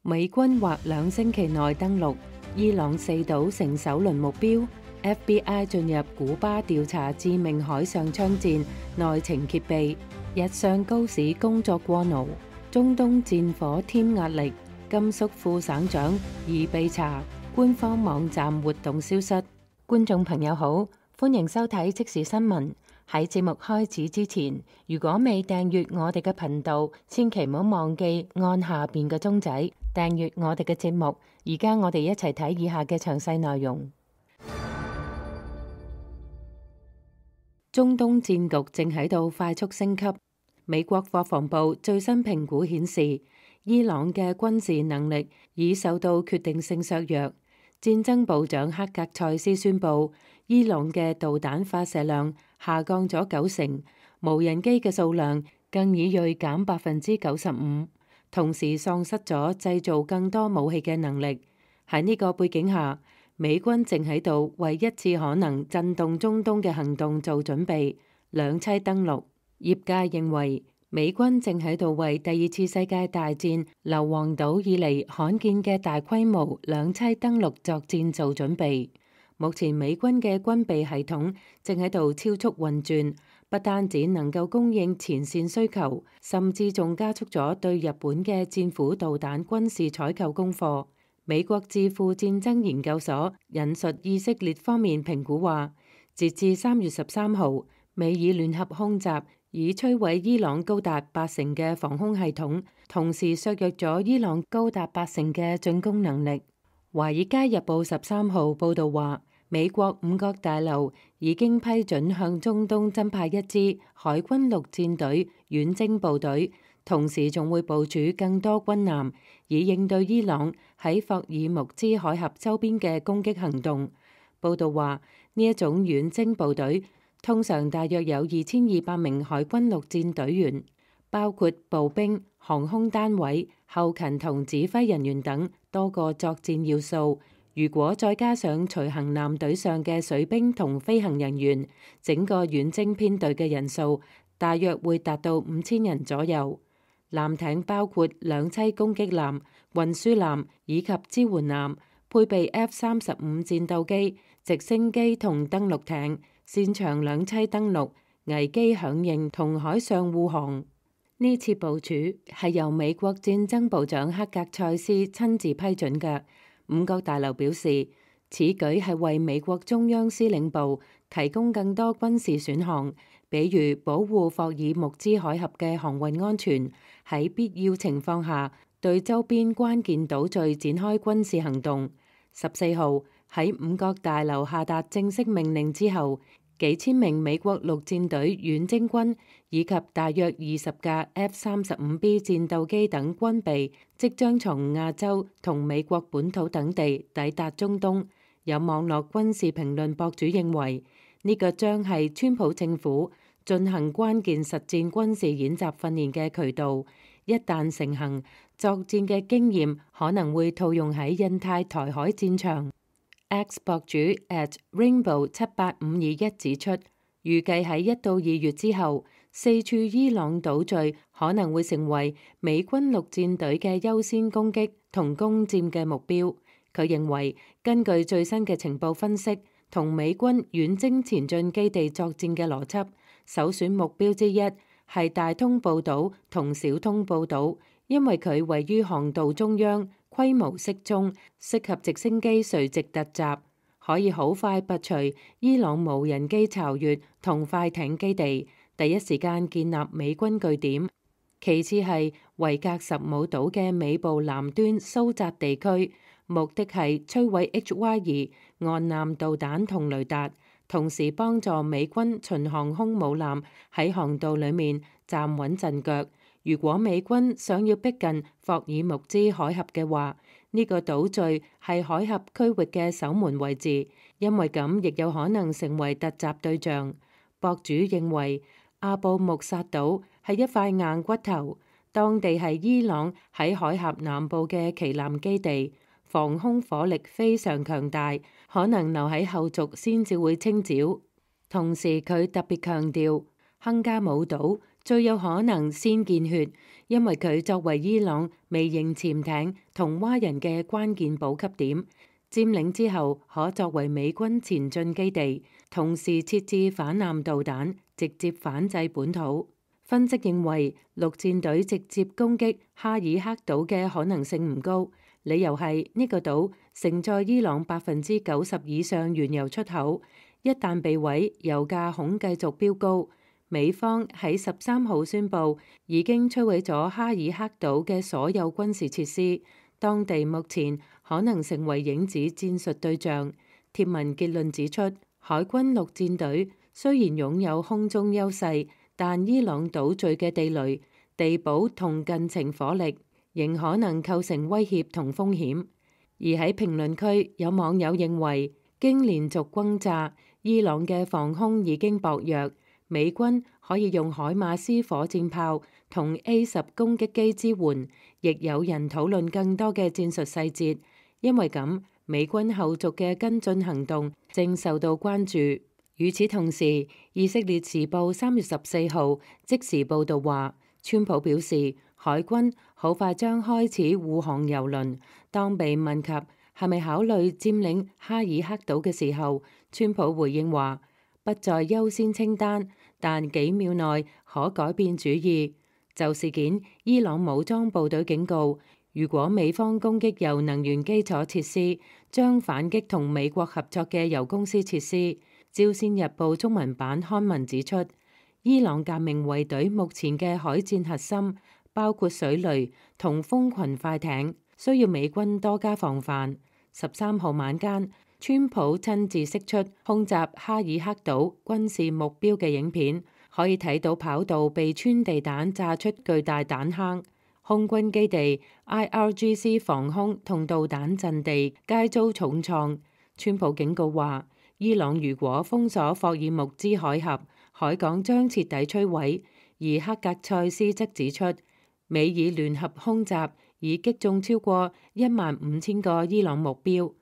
美軍或2星期內登陸伊朗4島成首輪目標。FBI 進入古巴調查致命海上槍戰，內情揭秘。日上高市工作過勞，中東戰火添壓力。甘肅副省長疑被查，官方網站活動消失。觀眾朋友好，歡迎收睇即時新聞。喺節目開始之前，如果未訂閱我哋嘅頻道，千祈唔好忘記按下邊嘅鐘仔訂閱我哋嘅節目。而家我哋一齊睇以下嘅詳細內容。中東戰局正喺度快速升級。美國國防部最新評估顯示，伊朗嘅軍事能力已受到決定性削弱。戰爭部長克格塞斯宣布，伊朗嘅導彈發射量下降咗90%，無人機嘅數量更已銳減95%，同時喪失咗製造更多武器嘅能力。喺呢個背景下，美軍正喺度為一次可能震動中東嘅行動做準備，兩棲登陸。業界認為，美軍正喺度為第二次世界大戰硫磺島以嚟罕見嘅大規模兩棲登陸作戰做準備。目前美軍嘅軍備系統正喺度超速運轉，不單止能夠供應前線需求，甚至仲加速咗對日本嘅戰斧導彈軍事採購功課。美國智庫戰爭研究所引述以色列方面評估話，截至3月13號，美以聯合空襲已摧毀伊朗高達80%嘅防空系統，同時削弱咗伊朗高達80%嘅進攻能力。華爾街日報13號報導話，美國五角大樓已經批准向中東增派一支海軍陸戰隊遠征部隊，同時仲會部署更多軍艦，以應對伊朗喺霍爾木茲海峽周邊嘅攻擊行動。報導話，呢一種遠征部隊通常大約有2200名海軍陸戰隊員，包括步兵、航空單位、後勤同指揮人員等多個作戰要素。如果再加上隨行艦隊上嘅水兵同飛行人員，整個遠征編隊嘅人數大約會達到5000人左右。艦艇包括兩棲攻擊艦、運輸艦以及支援艦，配備 F-35戰鬥機、直升機同登陸艇，擅長兩棲登陸、危機響應同海上護航。呢次部署係由美國戰爭部長克格塞斯親自批准嘅。五角大樓表示，此舉係為美國中央司令部提供更多軍事選項，比如保護霍爾木茲海峽嘅航運安全，喺必要情況下對周邊關鍵島嶼展開軍事行動。14號喺五角大樓下達正式命令之後，幾千名美國陸戰隊遠征軍以及大約20架 F-35B 戰鬥機等軍備即將從亞洲同美國本土等地抵達中東。有網絡軍事評論博主認為，呢個將係川普政府進行關鍵實戰軍事演習訓練嘅渠道。一旦成行，作戰嘅經驗可能會套用喺印太台海戰場。X 博主 @Rainbow78521 指出，預計喺1到2月之後，4處伊朗島嶼可能會成為美軍陸戰隊嘅優先攻擊同攻佔嘅目標。佢認為，根據最新嘅情報分析同美軍遠征前進基地作戰嘅邏輯，首選目標之一係大通布島同小通布島，因為佢位於航道中央，規模適中，適合直升機垂直突襲，可以好快拔除伊朗無人機巢穴同快艇基地，第一時間建立美軍據點。其次係維格什姆島嘅尾部南端蘇扎地區，目的係摧毀 HY-2岸艦導彈同雷達，同時幫助美軍巡航空母艦喺航道裡面站穩陣腳。如果美軍想要逼近霍爾木茲海峽嘅話，呢個島嶼係海峽區域嘅守門位置，因為咁亦有可能成為突襲對象。博主認為阿布穆薩島係一塊硬骨頭，當地係伊朗喺海峽南部嘅旗艦基地，防空火力非常強大，可能留喺後續先至會清剿。同時佢特別強調，亨加姆島最有可能先見血，因為佢作為伊朗微型潛艇同蛙人嘅關鍵補給點，佔領之後可作為美軍前進基地，同時設置反艦導彈，直接反制本土。分析認為，陸戰隊直接攻擊哈爾克島嘅可能性唔高，理由係呢個島承載伊朗90%以上原油出口，一旦被毀，油價恐繼續飆高。美方喺13號宣布已經摧毀咗哈爾克島嘅所有軍事設施，當地目前可能成為影子戰術對象。貼文結論指出，海軍陸戰隊雖然擁有空中優勢，但伊朗島嶼嘅地雷、地堡同近程火力仍可能構成威脅同風險。而喺評論區，有網友認為，經連續轟炸，伊朗嘅防空已經薄弱，美軍可以用海馬斯火箭炮同 A-10攻擊機支援。亦有人討論更多嘅戰術細節，因為咁，美軍後續嘅跟進行動正受到關注。與此同時，以色列時報3月14號即時報導話，川普表示海軍好快將開始護航油輪。當被問及係咪考慮佔領哈爾克島嘅時候，川普回應話不在優先清單，但幾秒內可改變主意。就事件，伊朗武裝部隊警告，如果美方攻擊油能源基礎設施，將反擊同美國合作嘅油公司設施。朝鮮日報中文版刊文指出，伊朗革命衛隊目前嘅海戰核心包括水雷同蜂群快艇，需要美軍多加防範。13號晚間，川普親自釋出空襲哈爾克島軍事目標嘅影片，可以睇到跑道被穿地彈炸出巨大彈坑，空軍基地、IRGC 防空同導彈陣地皆遭重創。川普警告話，伊朗如果封鎖霍爾木茲海峽，海港將徹底摧毀。而克格塞斯則指出，美以聯合空襲已擊中超過15000個伊朗目標。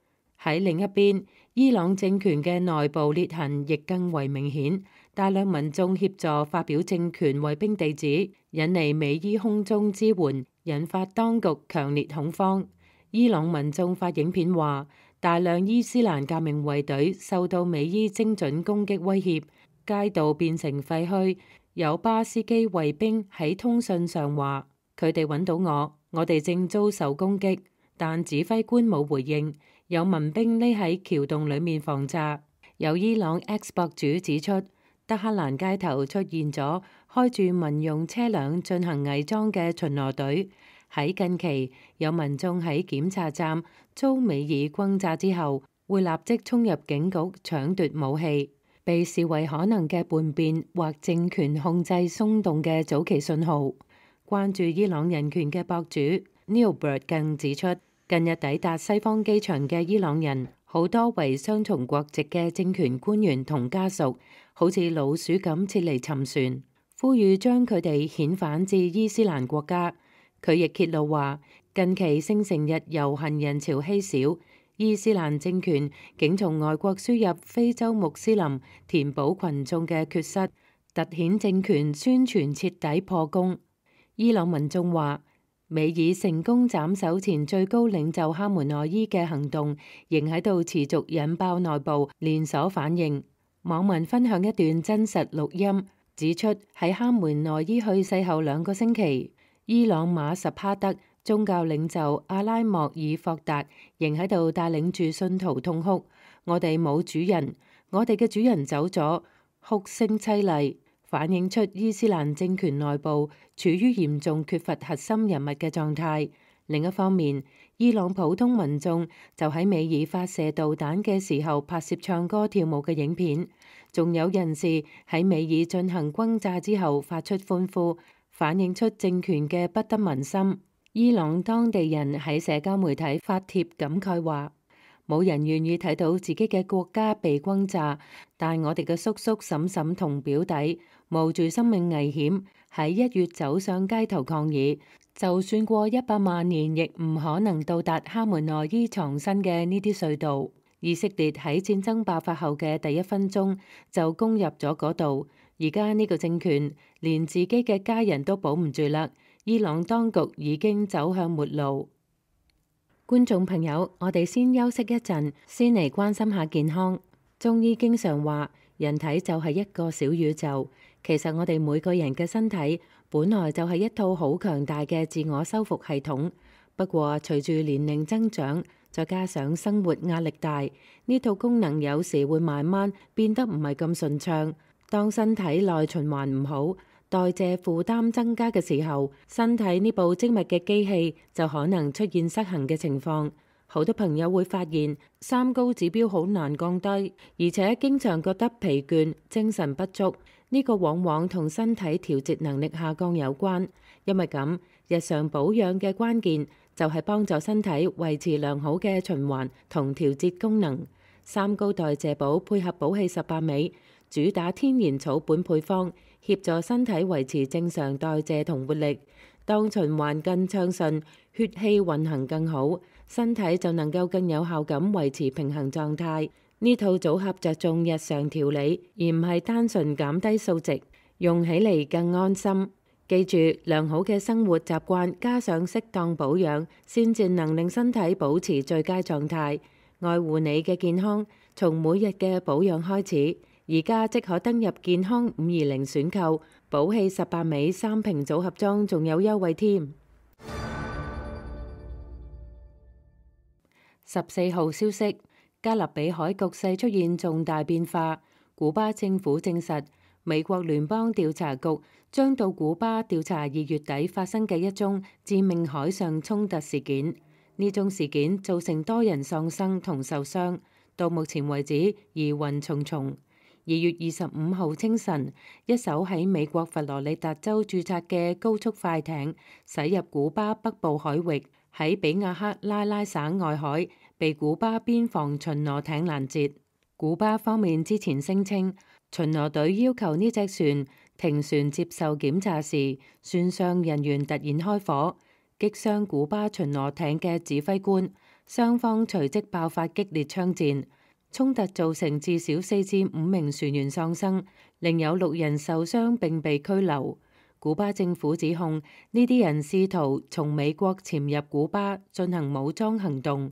喺另一邊，伊朗政權嘅內部裂痕亦更為明顯，大量民眾協助發表政權衛兵地址，引嚟美伊空中支援，引發當局強烈恐慌。伊朗民眾發影片話，大量伊斯蘭革命衛隊受到美伊精準攻擊威脅，街道變成廢墟。有巴斯基衛兵喺通訊上話，佢哋揾到我哋正遭受攻擊，但指揮官冇回應。有民兵匿喺橋洞裡面防詐。有伊朗 X 博主指出，德黑蘭街頭出現咗開住民用車輛進行偽裝嘅巡邏隊。喺近期，有民眾喺檢查站遭美爾轟炸之後，會立即衝入警局搶奪武器，被視為可能嘅叛變或政權控制鬆動嘅早期信號。關注伊朗人權嘅博主 Neilbert 更指出，近日抵達西方機場嘅伊朗人，好多為雙重國籍嘅政權官員同家屬，好似老鼠咁撤離沉船，呼籲將佢哋遣返至伊斯蘭國家。佢亦揭露話，近期聖城日遊行人潮稀少，伊斯蘭政權竟從外國輸入非洲穆斯林，填補群眾嘅缺失，凸顯政權宣傳徹底破功。伊朗民眾話，美爾成功斬首前最高領袖哈梅內伊嘅行動，仍喺度持續引爆內部連鎖反應。網民分享一段真實錄音，指出喺哈梅內伊去世後2個星期，伊朗馬什哈德宗教領袖阿拉莫爾霍達仍喺度帶領住信徒痛哭。我哋冇主人，我哋嘅主人走咗，哭聲淒厲，反映出伊斯蘭政權內部處於嚴重缺乏核心人物嘅狀態。另一方面，伊朗普通民眾就喺美爾發射導彈嘅時候拍攝唱歌跳舞嘅影片，仲有人士喺美爾進行轟炸之後發出歡呼，反映出政權嘅不得民心。伊朗當地人喺社交媒體發帖感慨話，冇人願意睇到自己嘅國家被轟炸，但我哋嘅叔叔嬸嬸同表弟冒住生命危險喺1月走上街頭抗議，就算過100萬年亦唔可能到達哈梅內伊藏身嘅呢啲隧道。以色列喺戰爭爆發後嘅第1分鐘就攻入咗嗰度，而家呢個政權連自己嘅家人都保唔住啦，伊朗當局已經走向末路。觀眾朋友，我哋先休息一陣，先嚟關心下健康。中醫經常話，人體就係一個小宇宙。其實我哋每個人嘅身體本來就係一套好強大嘅自我修復系統。不過隨住年齡增長，再加上生活壓力大，呢套功能有時會慢慢變得唔係咁順暢。當身體內循環唔好，代謝負擔增加嘅時候，身體呢部精密嘅機器就可能出現失衡嘅情況。好多朋友會發現三高指標好難降低，而且經常覺得疲倦、精神不足。呢個往往同身體調節能力下降有關。因為咁，日常保養嘅關鍵就係幫助身體維持良好嘅循環同調節功能。三高代謝寶配合寶氣18味，主打天然草本配方，協助身體維持正常代謝同活力。當循環更暢順，血氣運行更好，身體就能夠更有效咁維持平衡狀態。呢套組合着重日常調理，而唔係單純減低數值，用起嚟更安心。記住，良好嘅生活習慣加上適當保養，先至能令身體保持最佳狀態。愛護你嘅健康，從每日嘅保養開始。而家即可登入健康520選購，寶氣18味3瓶組合裝，仲有優惠添。14號消息，加勒比海局勢出現重大變化。古巴政府證實，美國聯邦調查局將到古巴調查2月底發生嘅一宗致命海上衝突事件。呢宗事件造成多人喪生同受傷，到目前為止疑雲重重。2月25號清晨，一艘喺美國佛羅里達州註冊嘅高速快艇駛入古巴北部海域，喺比亞克拉拉省外海被古巴邊防巡邏艇攔截。古巴方面之前聲稱，巡邏隊要求呢隻船停船接受檢查時，船上人員突然開火，擊傷古巴巡邏艇嘅指揮官，雙方隨即爆發激烈槍戰。衝突造成至少4至5名船員喪生，另有6人受傷並被拘留。古巴政府指控呢啲人試圖從美國潛入古巴進行武裝行動。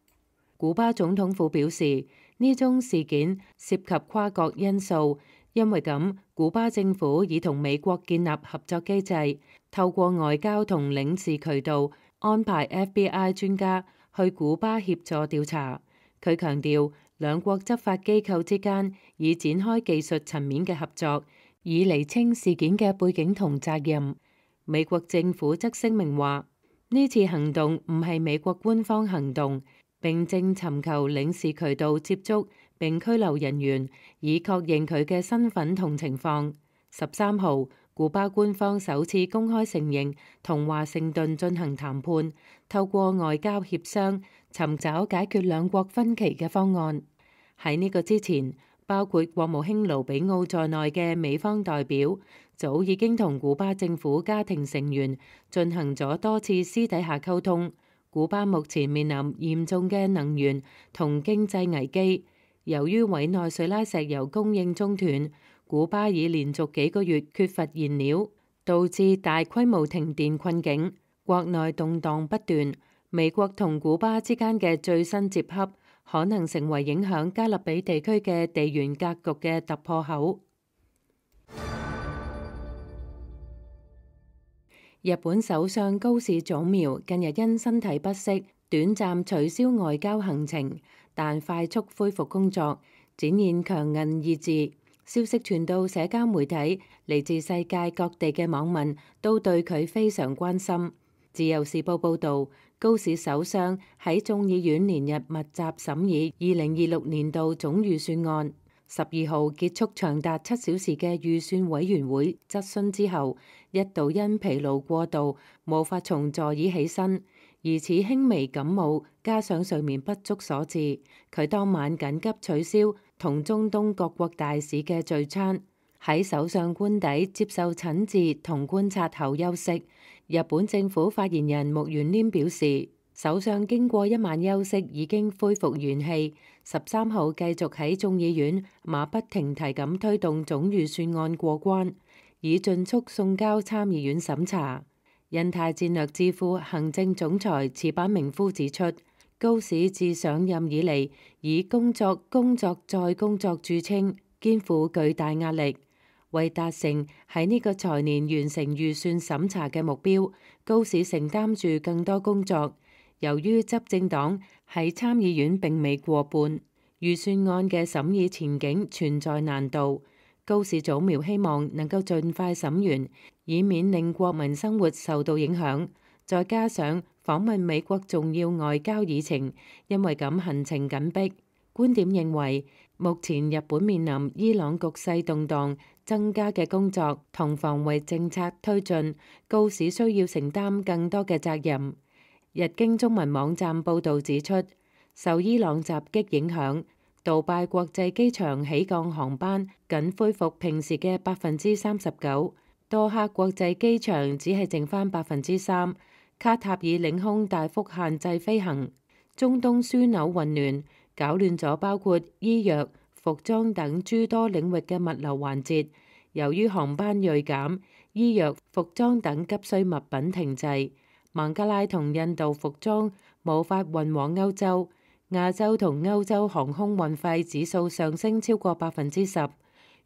古巴總統府表示，呢宗事件涉及跨國因素，因為咁，古巴政府已同美國建立合作機制，透過外交同領事渠道安排 FBI 專家去古巴協助調查。佢強調，兩國執法機構之間已展開技術層面嘅合作，以釐清事件嘅背景同責任。美國政府則聲明話，呢次行動唔係美國官方行動，並正尋求領事渠道接觸並拘留人員，以確認佢嘅身份同情況。13號，古巴官方首次公開承認同華盛頓進行談判，透過外交協商尋找解決兩國分歧嘅方案。喺呢個之前，包括國務卿盧比奧在內嘅美方代表早已經同古巴政府家庭成員進行咗多次私底下溝通。古巴目前面臨嚴重嘅能源同經濟危機，由於委內瑞拉石油供應中斷，古巴已連續幾個月缺乏燃料，導致大規模停電困境，國內動盪不斷。美國同古巴之間嘅最新接洽可能成為影響加勒比地區嘅地緣格局嘅突破口。日本首相高市早苗近日因身體不適，短暫取消外交行程，但快速恢復工作，展現強韌意志。消息傳到社交媒體，嚟自世界各地嘅網民都對佢非常關心。自由時報報導，高市首相喺眾議院連日密集審議2026年度總預算案。12號結束長達7小時嘅預算委員會質詢之後，一度因疲勞過度無法從座椅起身，疑似輕微感冒加上睡眠不足所致。佢當晚緊急取消同中東各國大使嘅聚餐，喺首相官邸接受診治同觀察後休息。日本政府發言人木原稔表示，首相經過一晚休息已經恢復元氣，13號繼續喺眾議院馬不停蹄咁推動總預算案過關，以盡速送交參議院審查。印太戰略智庫行政總裁池板明夫指出，高市自上任以嚟以工作再工作著稱，肩負巨大壓力。為達成喺呢個財年完成預算審查嘅目標，高市承擔住更多工作。由於執政黨喺參議院並未過半，預算案嘅審議前景存在難度。高市早苗希望能夠盡快審完，以免令國民生活受到影響。再加上訪問美國重要外交議程，因為咁行程緊迫。觀點認為，目前日本面臨伊朗局勢動盪，增加嘅工作同防衛政策推進，高市需要承擔更多嘅責任。日經中文網站報導指出，受伊朗襲擊影響，杜拜國際機場起降航班僅恢復平時嘅39%，多哈國際機場只係剩返3%，卡塔爾領空大幅限制飛行，中東樞紐混亂，搞亂咗包括醫藥、服裝等諸多領域嘅物流環節。由於航班銳減，醫藥、服裝等急需物品停滯，孟加拉同印度服裝無法運往歐洲。亞洲同歐洲航空運費指數上升超過10%。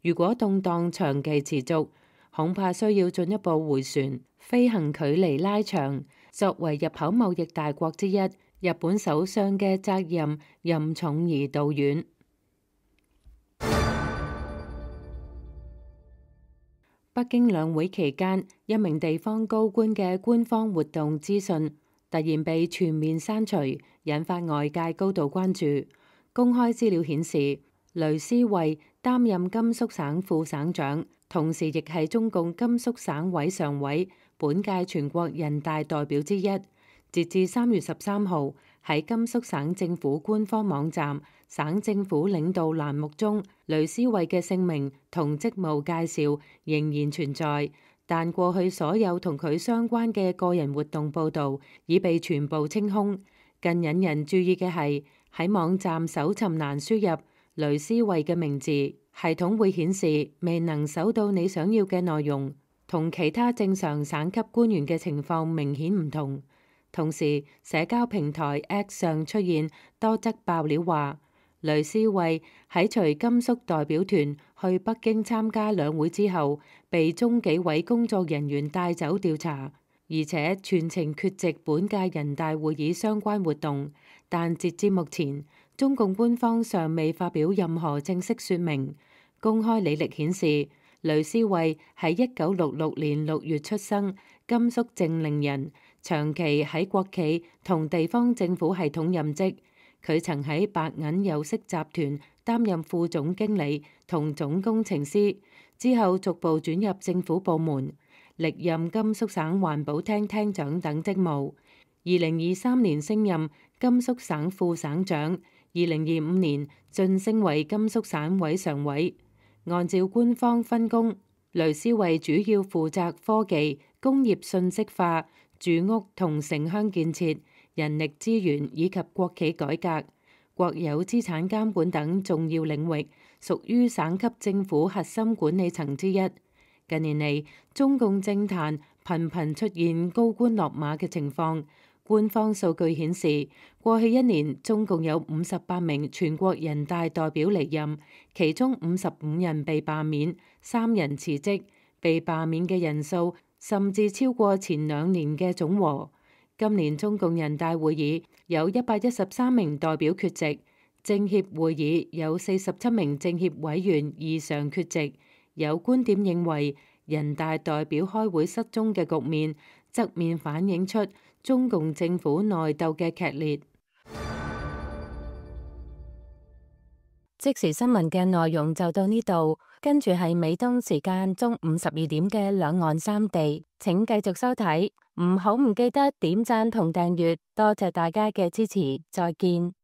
如果動盪長期持續，恐怕需要進一步回旋，飛行距離拉長。作為入口貿易大國之一，日本首相嘅責任任重而道遠。北京兩會期間，一名地方高官嘅官方活動資訊突然被全面刪除，引發外界高度關注。公開資料顯示，雷思慧擔任甘肅省副省長，同時亦係中共甘肅省委常委、本屆全國人大代表之一。截至3月13號，喺甘肅省政府官方網站省政府領導欄目中，雷思慧嘅姓名同職務介紹仍然存在，但過去所有同佢相關嘅個人活動報導已被全部清空。更引人注意嘅係，喺網站搜尋欄輸入雷思慧嘅名字，系統會顯示未能搜到你想要嘅內容，同其他正常省級官員嘅情況明顯唔同。同時，社交平台 X 上出現多則爆料話，雷思慧喺隨甘肅代表團去北京參加兩會之後，被中紀委工作人員帶走調查，而且全程缺席本屆人大會議相關活動。但截至目前，中共官方尚未發表任何正式說明。公開履歷顯示，雷思慧喺1966年6月出生，甘肅正寧人。長期喺國企同地方政府系統任職，佢曾喺白銀有色集團擔任副總經理同總工程師，之後逐步轉入政府部門，歷任甘肅省環保廳廳長等職務。2023年升任甘肅省副省長，2025年晉升為甘肅省委常委。按照官方分工，雷思慧主要負責科技、工業信息化、住屋同城鄉建設、人力資源以及國企改革、國有資產監管等重要領域，屬於省級政府核心管理層之一。近年嚟，中共政壇頻頻出現高官落馬嘅情況。官方數據顯示，過去一年中共有58名全國人大代表離任，其中55人被罷免，3人辭職，被罷免嘅人數甚至超過前2年嘅總和。今年中共人大會議有113名代表缺席，政協會議有47名政協委員異常缺席。有觀點認為，人大代表開會失蹤嘅局面，側面反映出中共政府內鬥嘅劇烈。即時新聞嘅內容就到呢度，跟住係美東時間中午12點嘅兩岸三地，請繼續收睇，唔記得點讚同訂閱，多謝大家嘅支持，再見。